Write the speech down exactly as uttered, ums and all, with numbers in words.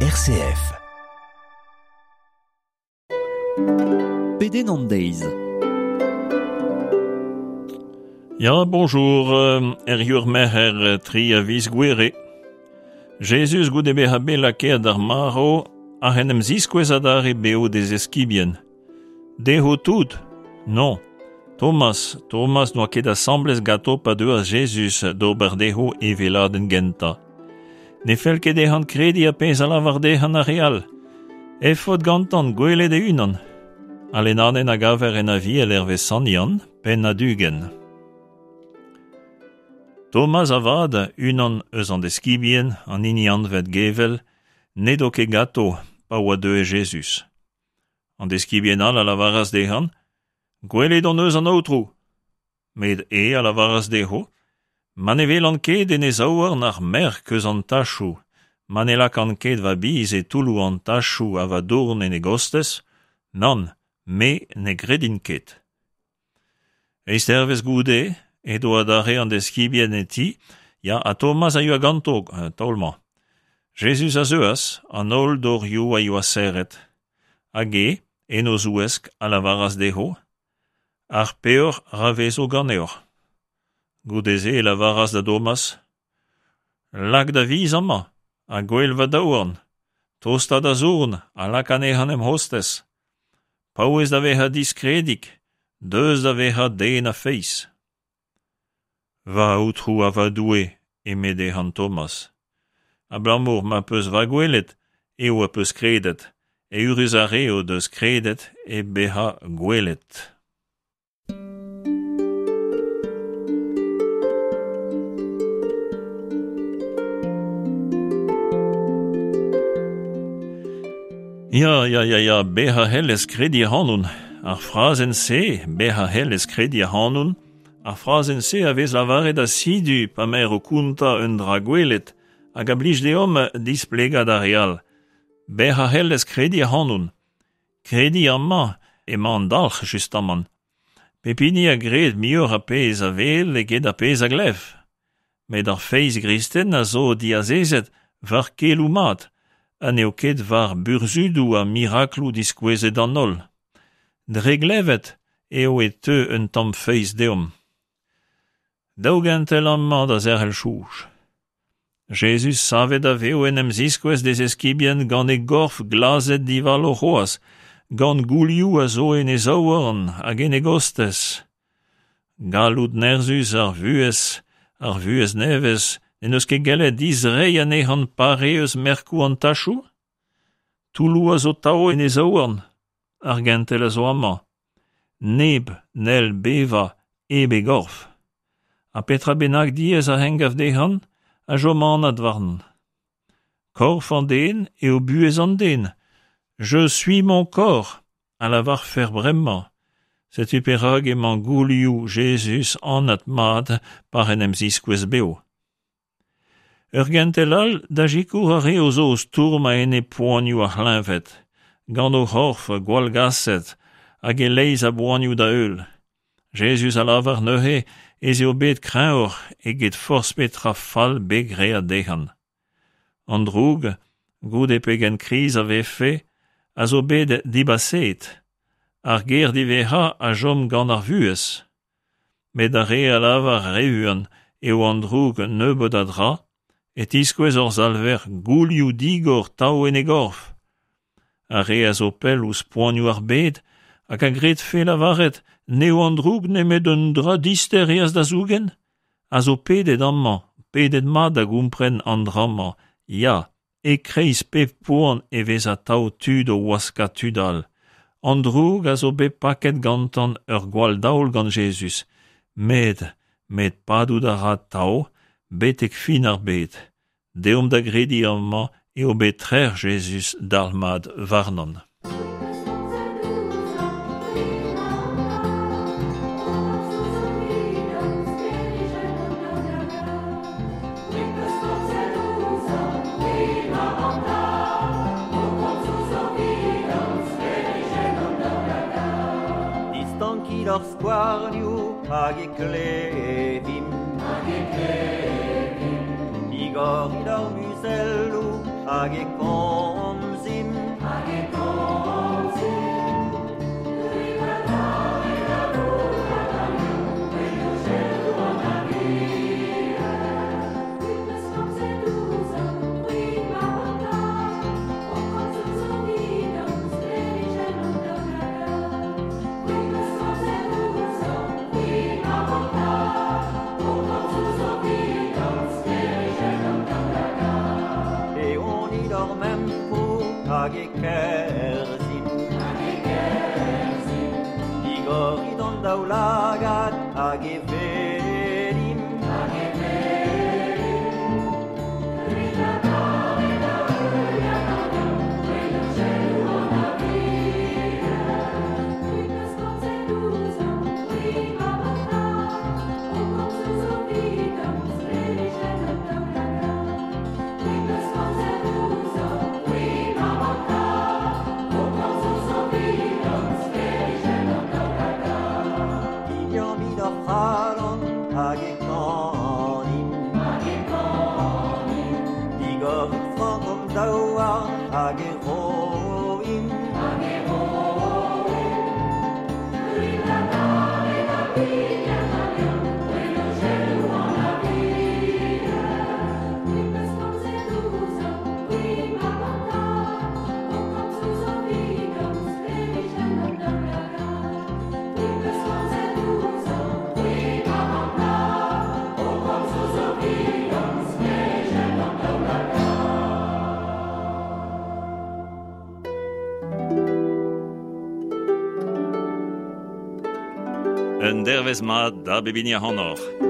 R C F. Pedenn an deiz. Ya, bonjour, er ur merc'her tri a viz gouere. Jezuz goude bezañ bet lakaet d'ar marv a en em ziskouez adarre beo d'e eskibien. Dezho tout? Non. Thomas, Thomas n'oa ket asambles ganto pa deuas Jezuz d'ober dezho e veladenn gentañ. Ne fell ket dezhan krediñ ar pezh a lavar dezhan ar re all. Efod gantan gwelet e-unan. Al lennadenn a gaver en Aviel hervez Sant Yann, penn ugent. Thomas avat, unan eus an deskibien, an hini anvet Gevel, n'edo ket ganto pa oa deuet Jezuz. An deskibien all a lavaras dezhan, Gwelet hon eus an Aotrou. Met e a lavaras dezho, ma ne welan ket en e zaouarn ar merk eus an tachoù, ma ne lakan ket va biz e toulloù an tachoù ha va dourn en e gostez, nann, me ne gredin ket. Eizh dervezh goude, edo adarre an deskibien e ti, ya ha Thomas a yoa ganto, taol-mañ. Jezuz a zeuas, an holl dorioù a yoa serret. Hag e, en o zouesk, a lavaras dezho, ar peoc'h ra vezo ganeoc'h. Goude-se e lavaras da Thomas, lak da viz amañ, ha gwel va daouarn, tosta da zourn, ha lak anezhañ em c'hostez. Paouez da vezañ diskredik, deus da vezañ den a feiz. Va Aotrou ha va Doue, eme dezhan Thomas. Abalamour ma peus va gwelet, eo a peus kredet, eürus ar re o deus kredet e bezañ gwelet. Ya, ya, ya, ya, bezañ c'hellez krediñ ac'hanon. Ar frazenn-se, bezañ c'hellez krediñ ac'hanon, ar frazenn-se a vez lavaret asidu pa m'er o kontañ un dra gwelet hag a blij deomp displegañ d'ar re all. Bezañ c'hellez krediñ ac'hanon. Krediñ amañ emañ an dalc'h justamant. Pep hini a gred muioc'h ar pezh a wel eget ar pezh a glev. Met ar feiz gristen a zo diazezet war keloù mat, ha n'eo ket war burzhudoù ha mirakloù diskouezet d'an holl. Dre glevet eo e teu un tamm feiz deomp. Daou gentel amañ da zerc'hel soñj. Jezuz savet a vev en em ziskouez d'e eskibien gant e gorf glazet divalo c'hoazh, gant goulioù a zo en e zaouarn hag en e gostez. Galloud nerzhus ar vuhez, ar vuhez nevez, n'en deus ket gellet dizreiñ anezhan pare eus merkoù an tachoù? Toulloù a zo tav en e zaouarn, ar gentel a zo amañ. Neb n'hell bevañ hep e gorf. Ha petra bennak diaes a engav dezhan, a chom anat warn. Korf an den eo buhez an den. Je suis mon corps, a lavarfer bremañ. Setu perak emañ goulioù Jezuz anat mat par en em ziskouez bev. Ur gentel all da sikour ar re o zo o stourm a-enep poanioù ar c'hleñved, gant o c'horf gwallgaset hag e-leizh a boanioù da heul. Jezuz a lavar neuze ez eo bet kreñvoc'h eget forzh petra fall bet graet dezhan. An droug, goude pegen kriz a vefe, a zo bet dibaseet. Ar ger diwezhañ a chom gant ar vuhez. Met ar re a lavar re-unan eo an droug nebeut a dra, e tiskouez hor Salver goulioù digor tav en e gorf. Ar re a zo pell ouzh poanioù ar bed hag a gredfe lavaret n'eo an droug nemet un dra dister eas da zougen, a zo pedet amañ, pedet mat da gompren an dra-mañ, ya, e-kreiz pep poan e vez atav tud o waskañ tud all. An droug a zo bet paket gantan ur gwall daol gant Jezuz, met, met padout a ra tav, betek fin ar bed. Deomp da grediñ amañ eo bet trec'h Jezuz dalc'hmat warnon. Distankit ar skouarnioù hag e klevimp. Hag e klevimp. Digorit ar muzelloù hag e komzimp. hag e kerzhimp. Hag e kerzhimp. Digorit an daoulagad hag e welimp. Hag e welimp. Liammit hor c'halon hag e kanimp. Hag e kanimp. Digorit frank hon daouarn hag e roimp. Hag e roimp. Un dervez mat da bep hini ac'hanoc'h.